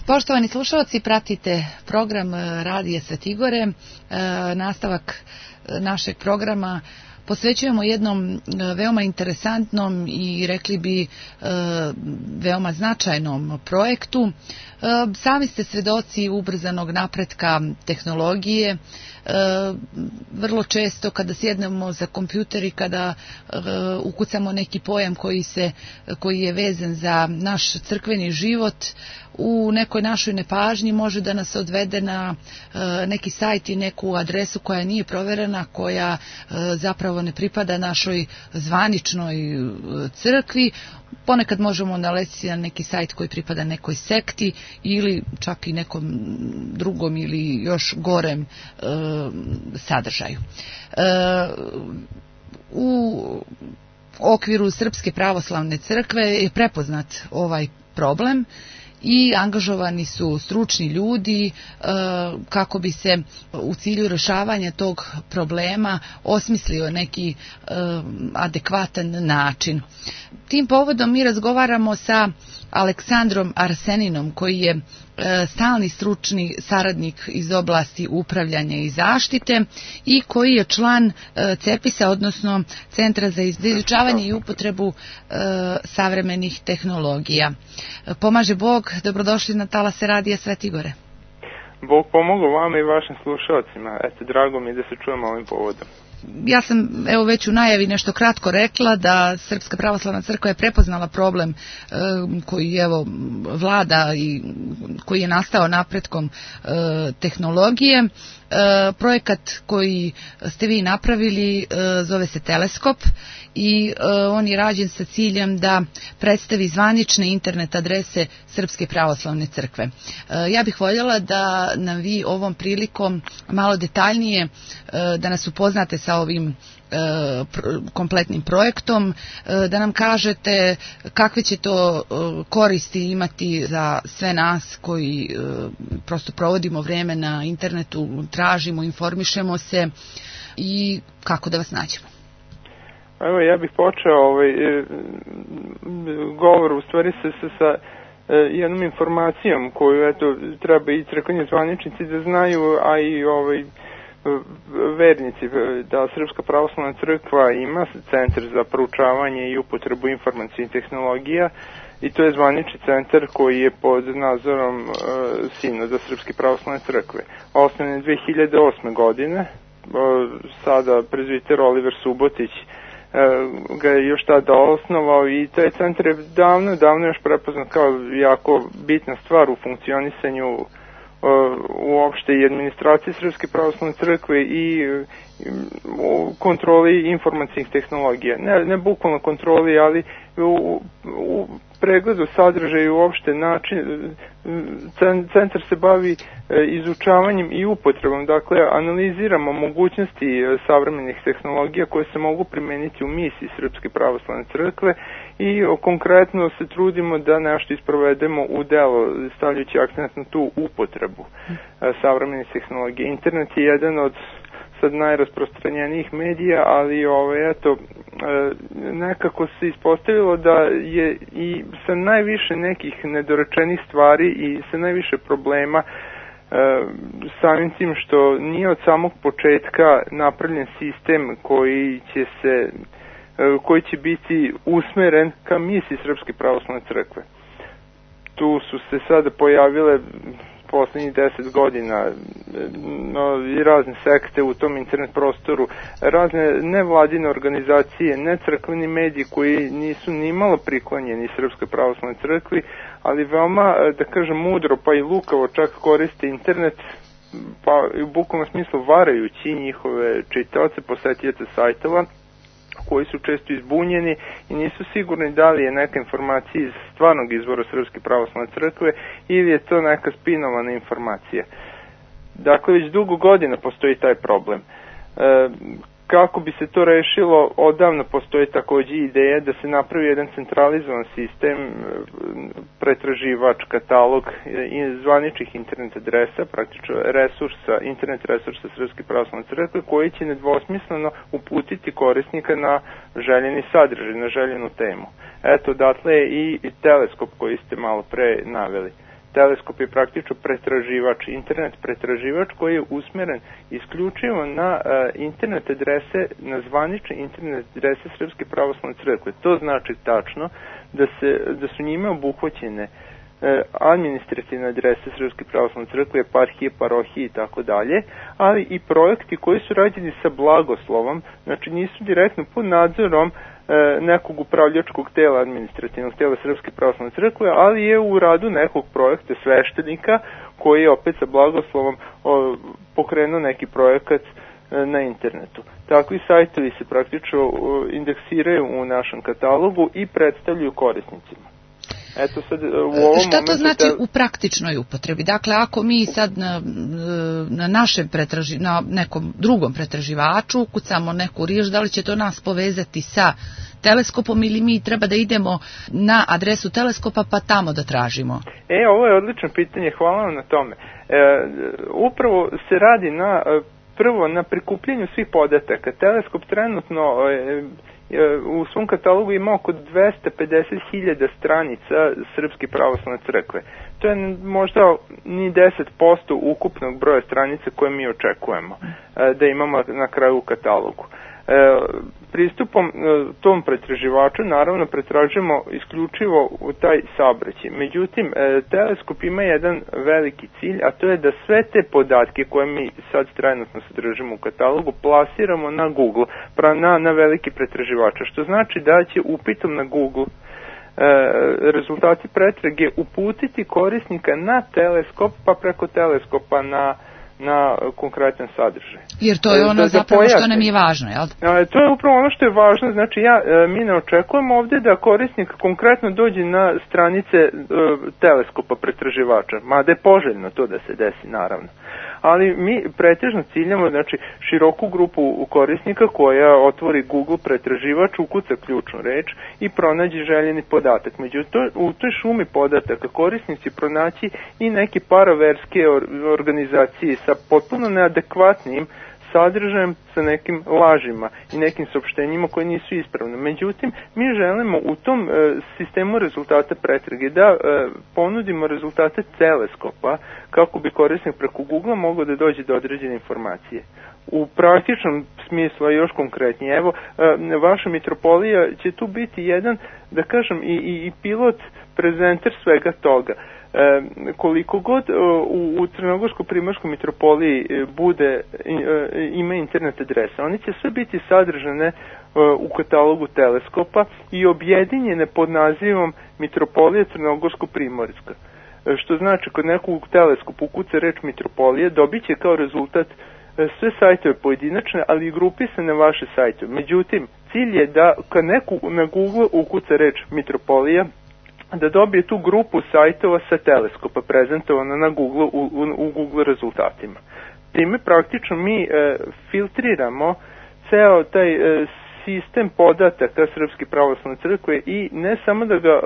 Poštovani slušalci, pratite program Radija Svetigore. Nastavak našeg programa posvećujemo jednom veoma interesantnom i rekli bi veoma značajnom projektu. Sami ste svedoci ubrzanog napretka tehnologije. Vrlo često kada sjednemo za kompjuter i kada ukucamo neki pojam koji je vezan za naš crkveni život, u nekoj našoj nepažnji može da nas odvede na neki sajt i neku adresu koja nije proverena, koja zapravo ne pripada našoj zvaničnoj crkvi. Ponekad možemo nalesti na neki sajt koji pripada nekoj sekti ili čak i nekom drugom ili još gorem sadržaju. U okviru Srpske pravoslavne crkve je prepoznat ovaj problem i angažovani su stručni ljudi kako bi se u cilju rješavanja tog problema osmislio neki adekvatan način. Tim povodom mi razgovaramo sa Aleksandrom Arseninom, koji je stalni stručni saradnik iz oblasti upravljanja i zaštite i koji je član CEPIS-a, odnosno Centra za izučavanje i upotrebu savremenih tehnologija. Pomaže Bog, dobrodošli na talase Radija Svetigore. Bog pomogao vama i vašim slušalcima. Drago mi je da se čujemo ovim povodom. Ja sam već u najavi nešto kratko rekla da Srpska pravoslavna crkva je prepoznala problem koji vlada i koji je nastao napretkom tehnologije. Projekat koji ste vi napravili zove se Teleskop i on je rađen sa ciljem da predstavi zvanične internet adrese Srpske pravoslavne crkve. Ja bih voljela da nam vi ovom prilikom malo detaljnije da nas upoznate sa ovim kompletnim projektom, da nam kažete kakve će to koristi imati za sve nas koji prosto provodimo vrijeme na internetu, tražimo, informišemo se i kako da vas nađemo. Evo, ja bih počeo govor u stvari sa jednom informacijom koju treba i crkveni zvaničnici da znaju, a i vernici, da Srpska pravoslavna crkva ima centar za proučavanje i upotrebu informacijnih tehnologija i to je zvanični centar koji je pod nadzorom Sinoda Srpske pravoslavne crkve. Osnovan je 2008. godine, sada prezbiter Oliver Subotić ga je još tada osnovao i taj centar je davno još prepoznat kao jako bitna stvar u funkcionisanju uopšte i administracije Srpske pravoslavne crkve i u kontroli informacijnih tehnologija. Ne bukvalno kontroli, ali u pregledu sadržaja i uopšte način. Centar se bavi izučavanjem i upotrebom, dakle analiziramo mogućnosti savremenih tehnologija koje se mogu primeniti u misiji Srpske pravoslavne crkve i konkretno se trudimo da nešto isprovedemo u delo, stavljajući akcent na tu upotrebu savremenih tehnologija. Internet je jedan od sad najrasprostranjenijih medija, ali nekako se ispostavilo da je i sa najviše nekih nedorečenih stvari i sa najviše problema samim tim što nije od samog početka napravljen sistem koji će biti usmeren ka misiji Srpske pravoslavne crkve. Tu su se sada pojavile poslednjih 10 godina i razne sekte u tom internet prostoru, razne nevladine organizacije, necrkveni mediji koji nisu ni malo priklonjeni Srpskoj pravoslavnoj crkvi, ali veoma, da kažem, mudro pa i lukavo čak koriste internet, pa u bukvalnom smislu varajući njihove čitaoce, posetioce sajtova, koji su često izbunjeni i nisu sigurni da li je neka informacija iz stvarnog izvora Srpske pravoslavne crkve ili je to neka spinovana informacija. Dakle, već dugo godina postoji taj problem. Kako bi se to rešilo, odavno postoji takođe ideja da se napravi jedan centralizovan sistem, pretraživač, katalog zvaničnih internet adresa, praktično internet resursa Srpske pravoslavne crkve, koji će nedvosmisleno uputiti korisnika na željeni sadržaj, na željenu temu. Eto, odatle je i teleskop koji ste malo pre naveli. Teleskop je praktično pretraživač, internet pretraživač koji je usmeren isključivo na internet adrese, na zvanične internet adrese Srpske pravoslavne crkve. To znači tačno da su njime obuhvaćene administrativne adrese Srpske pravoslavne crkve, eparhije, parohije i tako dalje, ali i projekti koji su rađeni sa blagoslovom, znači nisu direktno pod nadzorom nekog upravljačkog tela, administrativnog tela Srpske pravoslavne crkve, ali je u radu nekog projekta sveštenika koji je opet sa blagoslovom pokrenuo neki projekat na internetu. Takvi sajtovi se praktično indeksiraju u našem katalogu i predstavljaju korisnicima. Eto sad, šta to znači u praktičnoj upotrebi? Dakle, ako mi sad na našem na nekom drugom pretraživaču ukucamo neku riječ, da li će to nas povezati sa Teleskopom ili mi treba da idemo na adresu Teleskopa pa tamo da tražimo? Ovo je odlično pitanje, hvala vam na tome. Upravo se radi prvo na prikupljenju svih podataka. Teleskop trenutno u svom katalogu ima oko 250.000 stranica Srpske pravoslavne crkve. To je možda ni 10% ukupnog broja stranica koje mi očekujemo da imamo na kraju u katalogu. Pristupom tom pretraživaču naravno pretražujemo isključivo u taj saobraćaj. Međutim, Teleskop ima jedan veliki cilj, a to je da sve te podatke koje mi sad trenutno sadržimo u katalogu plasiramo na Google, na veliki pretraživača, što znači da će upitom na Google rezultati pretrage uputiti korisnika na Teleskop, pa preko Teleskopa na konkretan sadržaj. Jer to je ono zapravo što nam je važno, jel? To je upravo ono što je važno, znači mi ne očekujemo ovdje da korisnik konkretno dođe na stranice Teleskopa pretraživača, mada je poželjno to da se desi naravno. Ali mi pretežno ciljamo, znači, široku grupu korisnika koja otvori Google pretraživač, ukuca ključnu reč i pronađe željeni podatak. Međutim, u toj šumi podataka korisnici pronaći i neke paraverske organizacije sa potpuno neadekvatnim sadržajem, sa nekim lažima i nekim saopštenjima koje nisu ispravne. Međutim, mi želimo u tom sistemu rezultata pretrage da ponudimo rezultate Teleskopa kako bi korisnik preko Google mogao da dođe do određene informacije. U praktičnom smislu, a još konkretnije, evo, vaša mitropolija će tu biti jedan, da kažem, i pilot prezenter svega toga. Koliko god u Crnogorsko-Primorskoj mitropoliji ima internet adresa, oni će sve biti sadržane u katalogu Teleskopa i objedinjene pod nazivom Mitropolija Crnogorsko-Primorska. Što znači, kod nekog Teleskopa ukuca reč mitropolije, dobit će kao rezultat sve sajtove pojedinačne, ali i grupisane vaše sajtove. Međutim, cilj je da kad neko na Google ukuca reč mitropolija, da dobije tu grupu sajtova sa Teleskopa prezentovana na Google u Google rezultatima. Time praktično mi filtriramo ceo taj sistem podataka Srpske pravoslavne crkve i ne samo da ga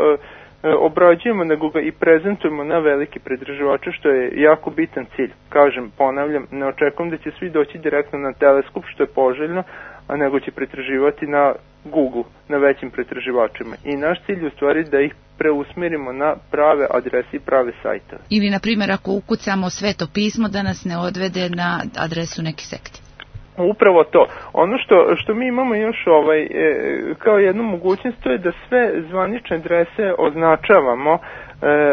obrađujemo, nego ga i prezentujemo na veliki pretraživače, što je jako bitan cilj. Kažem, ponavljam, ne očekujem da će svi doći direktno na Teleskop, što je poželjno, a nego će pretraživati na Google, na većim pretraživačima. I naš cilj je u stvari da ih preusmerimo na prave adrese i prave sajtove. Ili, na primjer, ako ukucamo Sveto pismo, da nas ne odvede na adresu neke sekte. Upravo to. Ono što mi imamo još kao jednu mogućnost, to je da sve zvanične adrese označavamo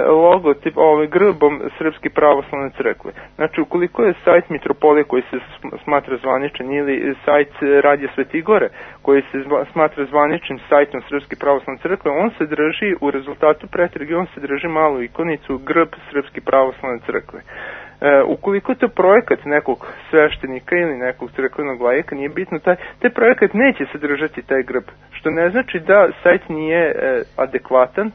logotip grbom Srpske pravoslavne crkve. Znači, ukoliko je sajt Mitropolije koji se smatra zvaničan ili sajt Radija Svetigore koji se smatra zvaničnim sajtom Srpske pravoslavne crkve, on se drži u rezultatu pretrage, on se drži malu ikonicu grb Srpske pravoslavne crkve. Ukoliko to projekat nekog sveštenika ili nekog crkvenog lajeka, nije bitno, taj projekat neće sadržati taj grb, što ne znači da sajt nije adekvatan,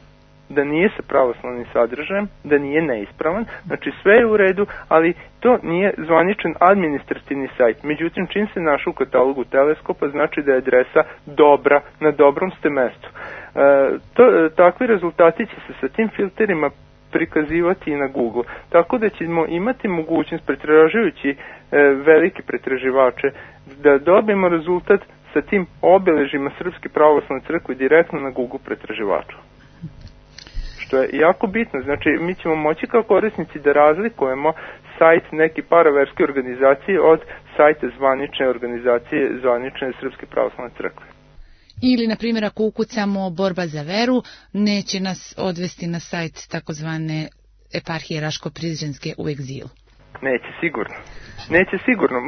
da nije sa pravoslavnim sadržajem, da nije neispravan, znači sve je u redu, ali to nije zvaničan administrativni sajt. Međutim, čim se našao u katalogu Teleskopa, znači da je adresa dobra, na dobrom ste mestu. Takvi rezultati će se sa tim filterima prikazivati i na Google. Tako da ćemo imati mogućnost, pretražujući velike pretraživače, da dobijemo rezultat sa tim obeležima Srpske pravoslavne crkve direktno na Google pretraživaču. što je jako bitno. Znači, mi ćemo moći kao korisnici da razlikujemo sajt neke paraverske organizacije od sajta zvanične organizacije, zvanične Srpske pravoslavne crkve. Ili, na primjer, ako ukucamo Borba za veru, neće nas odvesti na sajt takozvane eparhije Raško-Prizrenske u egzilu. Neće sigurno. Neće sigurno.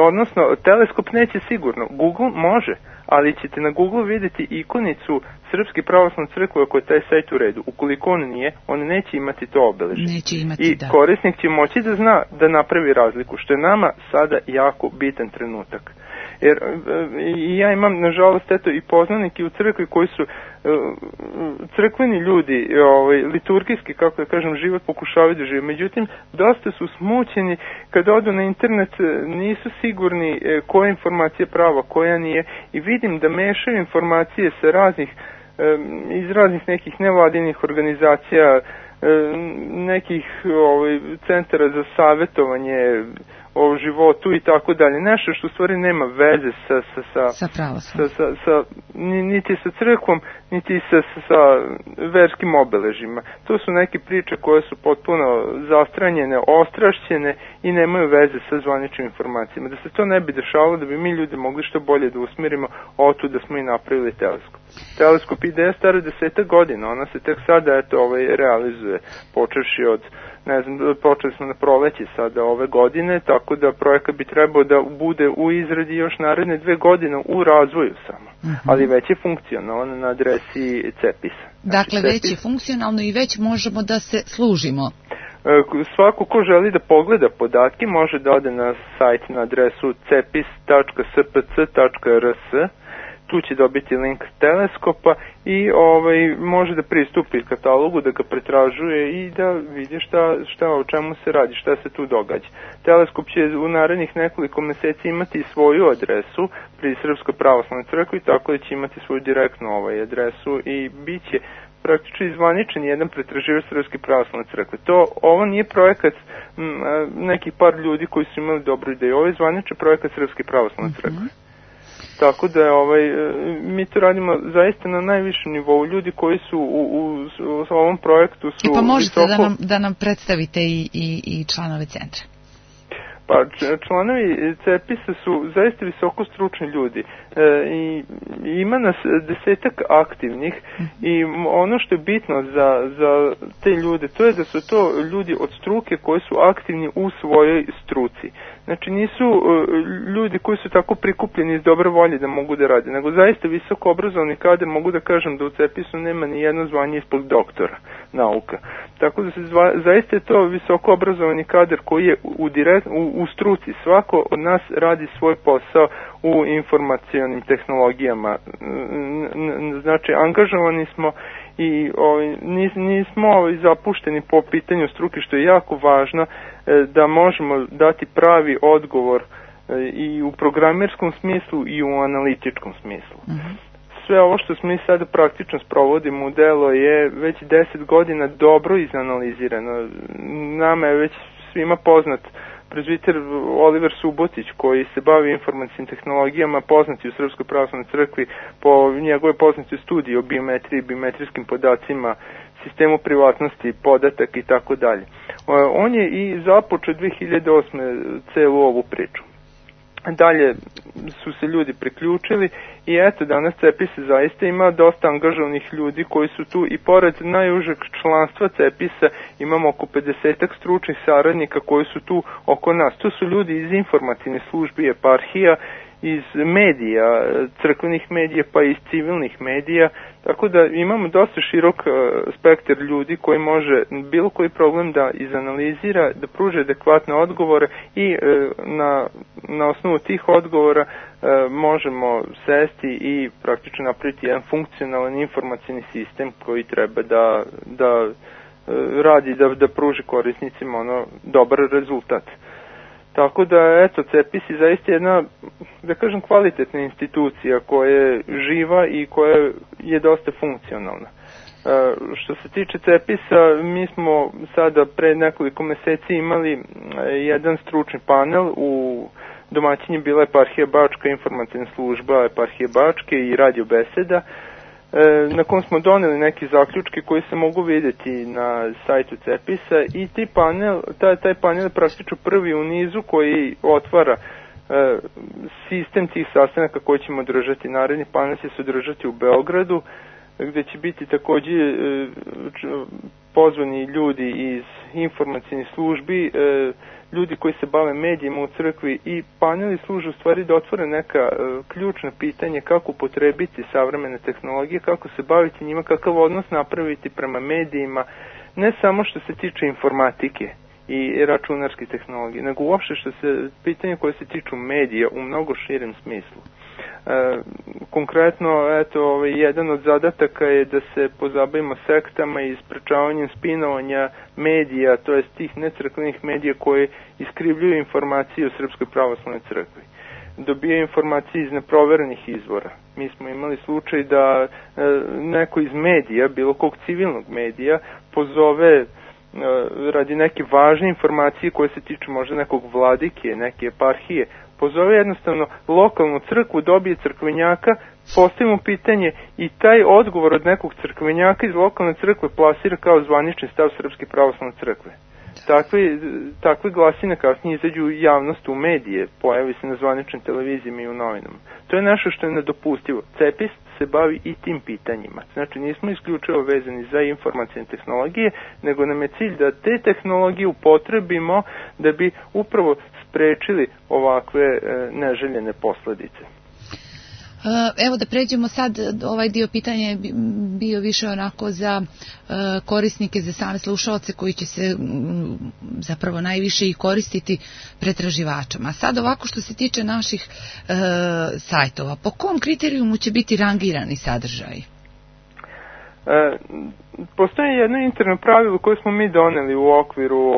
Odnosno, teleskop neće sigurno. Google može, ali ćete na Google vidjeti ikonicu Srpske pravoslavne crkve ako je taj sajt u redu. Ukoliko on nije, on neće imati to obeležje. Neće imati, I korisnik će moći da zna da napravi razliku, što je nama sada jako bitan trenutak. Jer ja imam, nažalost, eto, i poznanike u crkvi koji su crkveni ljudi, liturgijski, kako da kažem, život pokušavaju da žive. Međutim, dosta su smućeni kada odu na internet, nisu sigurni koja informacija je prava, koja nije, i vidim da mešaju informacije sa iz raznih nekih nevladinih organizacija, nekih centara za savjetovanje o životu i tako dalje. Nešto što u stvari nema veze niti sa crkvom, niti sa verskim obeležima. To su neke priče koje su potpuno zastranjene, ostrašćene i nemaju veze sa zvaničnim informacijama. Da se to ne bi dešavalo, da bi mi ljudi mogli što bolje da usmjerimo, otud da smo i napravili teleskop. Teleskop ideja stara 10 godina, ona se tek sada realizuje, počevši od, ne znam, počeli smo na proleće sada ove godine, tako da projekat bi trebao da bude u izradi još naredne 2 godine, u razvoju samo, ali već je funkcionalno na adresi CEPIS-a. Dakle, već je funkcionalno i već možemo da se služimo. Svako ko želi da pogleda podatke može da ode na sajt na adresu cepis.spc.rs. Tu će dobiti link teleskopa i može da pristupi katalogu, da ga pretražuje i da vidi o čemu se radi, šta se tu događa. Teleskop će u narednih nekoliko meseci imati svoju adresu pri Srpskoj pravoslavnoj crkvi, tako da će imati svoju direktnu adresu i bit će praktično izvaničen jedan pretraživač Srpske pravoslavne crkve. Ovo nije projekat nekih par ljudi koji su imali dobru ideju, ovo je zvaničan projekat Srpske pravoslavne crkve. Tako da mi to radimo zaista na najvišem nivou. Ljudi koji su u ovom projektu su... Pa možete da nam predstavite i članove centra? Pa članovi CEPIS-a su zaista visoko stručni ljudi i ima nas 10-ak aktivnih i ono što je bitno za te ljude, to je da su to ljudi od struke koji su aktivni u svojoj struci. Znači nisu ljudi koji su tako prikupljeni iz dobre volje da mogu da rade, nego zaista visoko obrazovani kadar, mogu da kažem da u CEPIS-u nema ni jedno zvanje ispod doktora nauka. Tako da zaista je to visoko obrazovani kadar koji je u struci. Svako od nas radi svoj posao u informacionim tehnologijama. Znači, angažovani smo i nismo zapušteni po pitanju struke, što je jako važno, da možemo dati pravi odgovor i u programerskom smislu i u analitičkom smislu. Sve ovo što mi sada praktično sprovodimo u delo je već 10 godina dobro izanalizirano. Nama je već svima poznat prezbiter Oliver Subotić, koji se bavi informacijnim tehnologijama, poznati u Srpskoj pravoslavnoj crkvi po njegove poznate studije o biometriji, biometrijskim podacima, sistemu privatnosti, podatak i tako dalje. On je i započeo 2008. celu ovu priču. Dalje su se ljudi priključili i eto, danas CEPIS zaista ima dosta angažovanih ljudi koji su tu i pored najužeg članstva CEPIS-a imamo oko 50 stručnih saradnika koji su tu oko nas. Tu su ljudi iz informativne službe eparhija, iz medija, crkvenih medija pa i iz civilnih medija, tako da imamo dosta širok spektar ljudi koji može bilo koji problem da izanalizira, da pruže adekvatne odgovore i na osnovu tih odgovora možemo sesti i praktično napraviti jedan funkcionalan informacijni sistem koji treba da radi, da pruži korisnicima dobar rezultat. Tako da, eto, CEPIS je zaista jedna, da kažem, kvalitetna institucija koja je živa i koja je dosta funkcionalna. Što se tiče CEPIS-a, mi smo sada pre nekoliko meseci imali jedan stručni panel u domaćinji bila eparhija Bačka, informativna služba eparhije Bačke i radio beseda. na kom smo doneli neki zaključke koji se mogu vidjeti na sajtu CEPIS-a i taj panel je praktično prvi u nizu koji otvara sistem tih sastanaka koji ćemo održati. Naredni panel će se održati u Beogradu, gdje će biti također pozvani ljudi iz informacijnih službi, ljudi koji se bave medijima u crkvi, i paneli služe u stvari da otvore neka ključna pitanja kako upotrebiti savremene tehnologije, kako se baviti njima, kakav odnos napraviti prema medijima, ne samo što se tiče informatike i računarskih tehnologija, nego uopšte što se pitanja koje se tiču medija u mnogo širem smislu. Konkretno, eto, jedan od zadataka je da se pozabavimo sektama i sprečavanjem spinovanja medija, to jest tih necrkvenih medija koje iskrivljuju informacije o Srpskoj pravoslavnoj crkvi. Dobijaju informacije iz neproverenih izvora. Mi smo imali slučaj da neko iz medija, bilo kog civilnog medija, pozove radi neke važne informacije koje se tiču možda nekog vladike, neke eparhije, pozove jednostavno lokalnu crkvu, dobije crkvenjaka, postavimo pitanje i taj odgovor od nekog crkvenjaka iz lokalne crkve plasira kao zvanični stav Srpske pravoslavne crkve. Takve glasine kasnije izađu u javnost, u medije, pojavi se na zvaničnim televizijama i u novinama. To je nešto što je nedopustivo. CEPIS se bavi i tim pitanjima. Znači, nismo isključivo vezani za informacijne tehnologije, nego nam je cilj da te tehnologije upotrebimo da bi upravo sprečili ovakve neželjene posljedice. Evo da pređemo sad, ovaj dio pitanja je bio više onako za korisnike, za same slušaoce koji će se zapravo najviše i koristiti pretraživačama. Sad ovako što se tiče naših sajtova, po kom kriterijumu će biti rangirani sadržaji? Postoji jedno interno pravilo koje smo mi doneli u okviru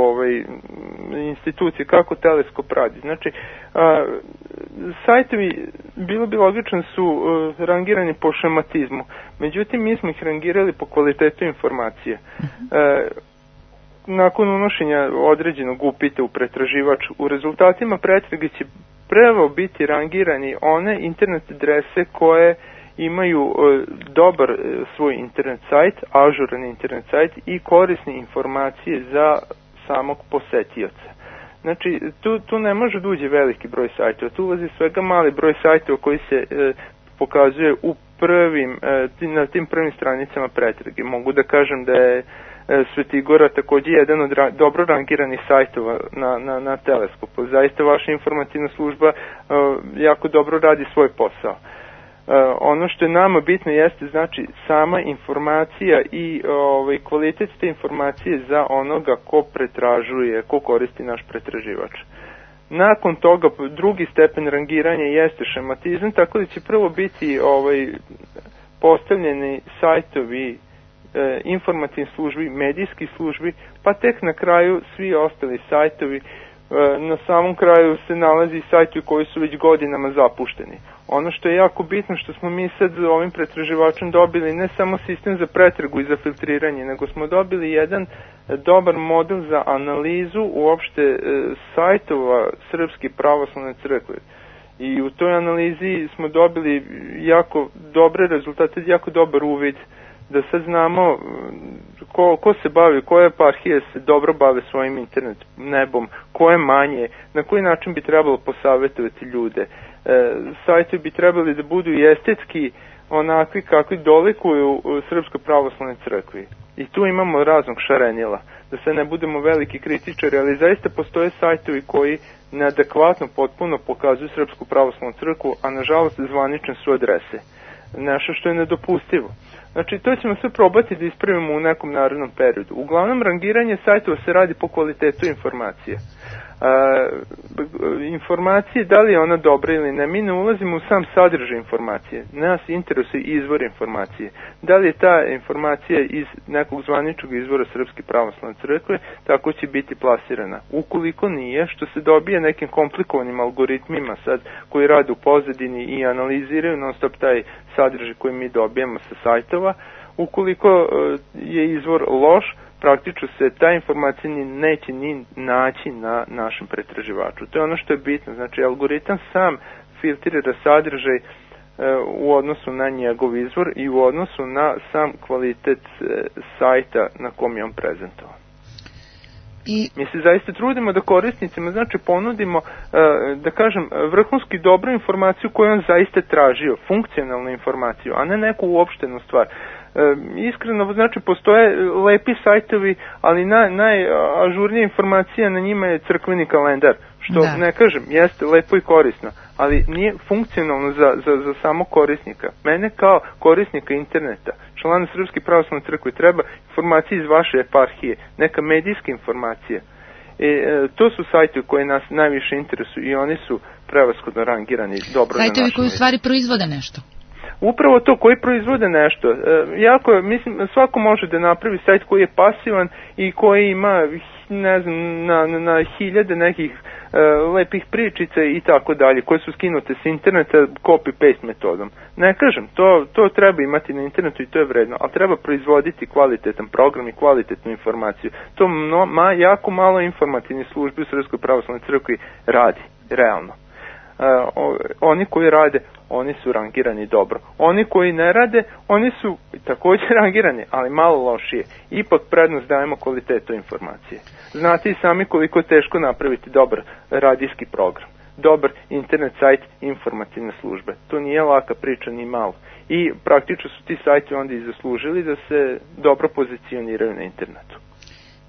institucije kako Teleskop radi. Znači, sajtovi bilo bi logično su rangirani po šematizmu, međutim mi smo ih rangirali po kvalitetu informacije. Nakon unošenja određenog upita u pretraživač, u rezultatima pretrage će prvo biti rangirani one internet adrese koje imaju dobar svoj internet sajt, ažuran internet sajt i korisne informacije za samog posetioca. Znači, tu ne može da uđe veliki broj sajtova, tu ulazi svega mali broj sajtova koji se pokazuje u na tim prvim stranicama pretrage. Mogu da kažem da je Svetigora također jedan od dobro rangiranih sajtova na Teleskopu. Zaista vaša informacijna služba jako dobro radi svoj posao. Ono što je nama bitno jeste znači sama informacija i kvalitet te informacije za onoga ko pretražuje, ko koristi naš pretraživač. Nakon toga drugi stepen rangiranja jeste šematizam, tako da će prvo biti postavljeni sajtovi informativnih službi, medijskih službi, pa tek na kraju svi ostali sajtovi. Na samom kraju se nalazi sajtovi koji su već godinama zapušteni. Ono što je jako bitno što smo mi sad ovim pretraživačem dobili ne samo sistem za pretragu i za filtriranje, nego smo dobili jedan dobar model za analizu uopšte sajtova Srpske pravoslavne crkve. I u toj analizi smo dobili jako dobre rezultate, jako dobar uvid da sad znamo ko se bavi, koje eparhije se dobro bave svojim internet nebom, koje manje, na koji način bi trebalo posavjetovati ljude. Sajti bi trebali da budu i estetski onakvi kakvi dolikuju Srpskoj pravoslavnoj crkvi. I tu imamo raznog šarenila, da se ne budemo veliki kritičari, ali zaista postoje sajtovi koji neadekvatno potpuno pokazuju Srpsku pravoslavnu crkvu, a nažalost zvanične su adrese. Nešto što je nedopustivo. Znači, to ćemo sve probati da ispravimo u nekom narednom periodu. Uglavnom, rangiranje sajtova se radi po kvalitetu informacije. Informacije, da li je ona dobra ili ne, mi ne ulazimo u sam sadržaj informacije. Nas interesuje izvor informacije. Da li je ta informacija iz nekog zvaničnog izvora Srpske pravoslavne crkve, tako će biti plasirana. Ukoliko nije, što se dobije nekim komplikovanim algoritmima sad, koji rade u pozadini i analiziraju non stop taj sadržaj koji mi dobijemo sa sajtova, ukoliko je izvor loš, praktično se ta informacija neće ni naći na našem pretraživaču. To je ono što je bitno. Znači, algoritam sam filtrira sadržaj u odnosu na njegov izvor i u odnosu na sam kvalitet sajta na kom je on prezentovan. Mi se zaista trudimo da korisnicima, znači, ponudimo, da kažem, vrhunski dobru informaciju koju on zaista tražio, funkcionalnu informaciju, a ne neku uopštenu stvar. Iskreno, znači, postoje lepi sajtovi, ali najažurnija informacija na njima je crkveni kalendar, što ne kažem, jeste lepo i korisno, ali nije funkcionalno za samo korisnika. Mene kao korisnika interneta, člana Srpske pravoslavne crkve, treba informacije iz vaše eparhije, neka medijska informacija. To su sajtovi koji nas najviše interesuju i oni su prevashodno rangirani dobro na našem. Sajtovi koji u stvari proizvode nešto. Upravo to, koji proizvode nešto. Jako, mislim, svako može da napravi sajt koji je pasivan i koji ima, ne znam, na hiljade nekih lepih pričica i tako dalje, koje su skinute s interneta copy-paste metodom. Ne kažem, to treba imati na internetu i to je vredno, ali treba proizvoditi kvalitetan program i kvalitetnu informaciju. To jako malo informativnih službi u Srpskoj pravoslavnoj crkvi radi, realno. Oni koji rade, oni su rangirani dobro. Oni koji ne rade, oni su također rangirani, ali malo lošije. Ipak prednost dajemo kvalitetu informacije. Znate i sami koliko je teško napraviti dobar radijski program, dobar internet sajt informativne službe. To nije laka priča ni malo. I praktično su ti sajti onda i zaslužili da se dobro pozicioniraju na internetu.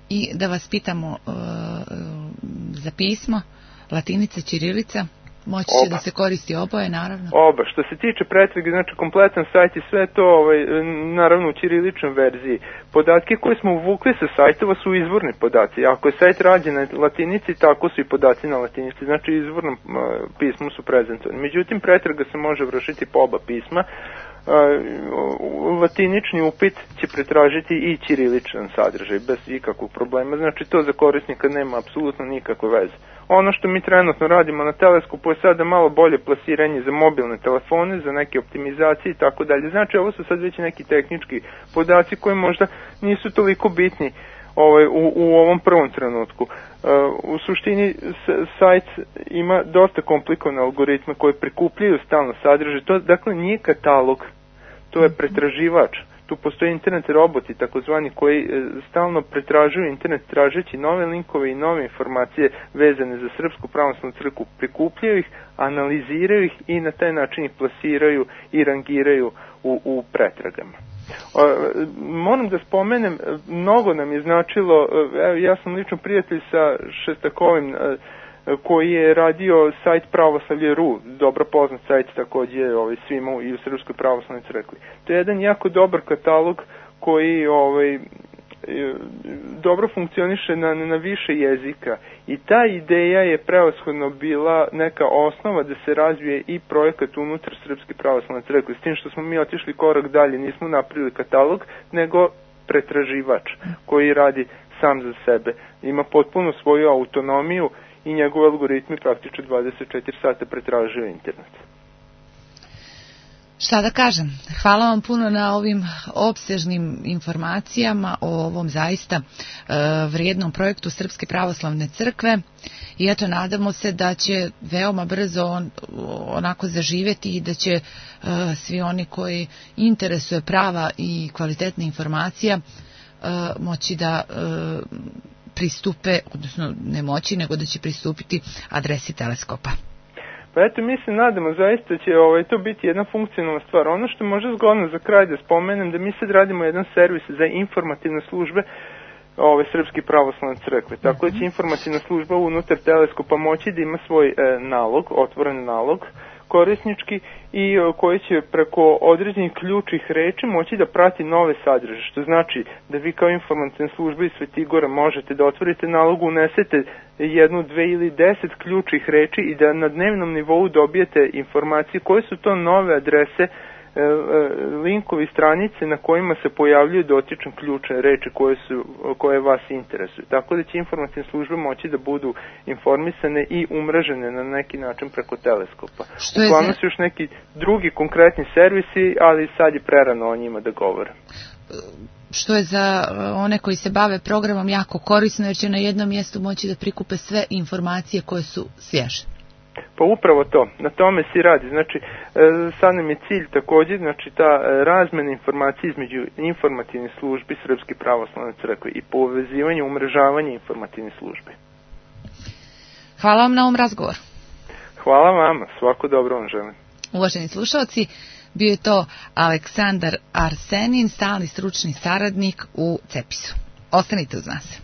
I da vas pitamo za pismo, latinica, ćirilica? Moći će da se koristi oboje, naravno? Oba. Što se tiče pretrage, znači kompletan sajt i sve to, naravno u ćiriličnoj verziji. Podatke koje smo uvukli sa sajtova su izvorni podaci. Ako je sajt rađen na latinici, tako su i podaci na latinici. Znači izvornom pismu su prezentovani. Međutim, pretraga se može vršiti po oba pisma. Latinični upit će pretražiti i ćiriličan sadržaj bez ikakvog problema, znači to za korisnika nema apsolutno nikakve veze. Ono što mi trenutno radimo na teleskopu je sada malo bolje plasiranje za mobilne telefone, za neke optimizacije i tako dalje. Znači ovo su sad već neki tehnički podaci koji možda nisu toliko bitni u ovom prvom trenutku. U suštini sajt ima dosta komplikovane algoritme koje prikupljaju stalno sadržaj. To dakle nije katalog, to je pretraživač. Tu postoje internet roboti takozvani koji stalno pretražuju internet tražeći nove linkove i nove informacije vezane za Srpsku pravoslavnu crkvu, prikupljaju ih, analiziraju ih i na taj način ih plasiraju i rangiraju u pretragama. Moram da spomenem, mnogo nam je značilo, ja sam lično prijatelj sa Šestakovim koji je radio sajt Pravoslavlje.ru, dobro poznat sajt također svima i u Srpskoj pravoslavnoj crkvi. To je jedan jako dobar katalog koji dobro funkcioniše na više jezika i ta ideja je prevashodno bila neka osnova da se razvije i projekat unutar Srpske pravoslavne crkve, s tim što smo mi otišli korak dalje, nismo napravili katalog, nego pretraživač koji radi sam za sebe. Ima potpuno svoju autonomiju i njegove algoritmi praktično 24 sata pretražuju internet. Šta da kažem, hvala vam puno na ovim opsežnim informacijama o ovom zaista vrijednom projektu Srpske pravoslavne crkve i eto nadamo se da će veoma brzo onako zaživjeti i da će svi oni koji interesuje prava i kvalitetna informacija moći da pristupe, odnosno ne moći, nego da će pristupiti adresi teleskopa. Pa eto, mi se nadamo, zaista će to biti jedna funkcionalna stvar. Ono što može zgodno za kraj da spomenem, da mi sad radimo jedan servis za informativne službe Srpske pravoslavne crkve. Tako da će informativna služba unutar teleskopa moći da ima svoj nalog, otvoren nalog, korisnički i koji će preko određenih ključnih reči moći da prati nove sadržaje, što znači da vi kao informativna služba iz Svetigora možete da otvorite nalog, unesete 1, 2 ili 10 ključnih reči i da na dnevnom nivou dobijete informacije koje su to nove adrese, linkovi, stranice na kojima se pojavljuju dotične ključne reči koje vas interesuju. Tako da će informativne službe moći da budu informisane i umrežene na neki način preko teleskopa. Uglavnom su još neki drugi konkretni servisi, ali sad je prerano o njima da govorim. Što je za one koji se bave programom jako korisno, jer će na jednom mjestu moći da prikupe sve informacije koje su svježe. Pa upravo to, na tome se radi. Znači, sad nam je cilj također, znači ta razmena informacija između informativnih službi Srpske pravoslavne crkve i povezivanje, umrežavanje informativnih službi. Hvala vam na ovom razgovoru. Hvala vama, svako dobro vam želim. Uvaženi slušalci, bio je to Aleksandar Arsenin, stalni stručni saradnik u CEPIS-u. Ostanite uz nas.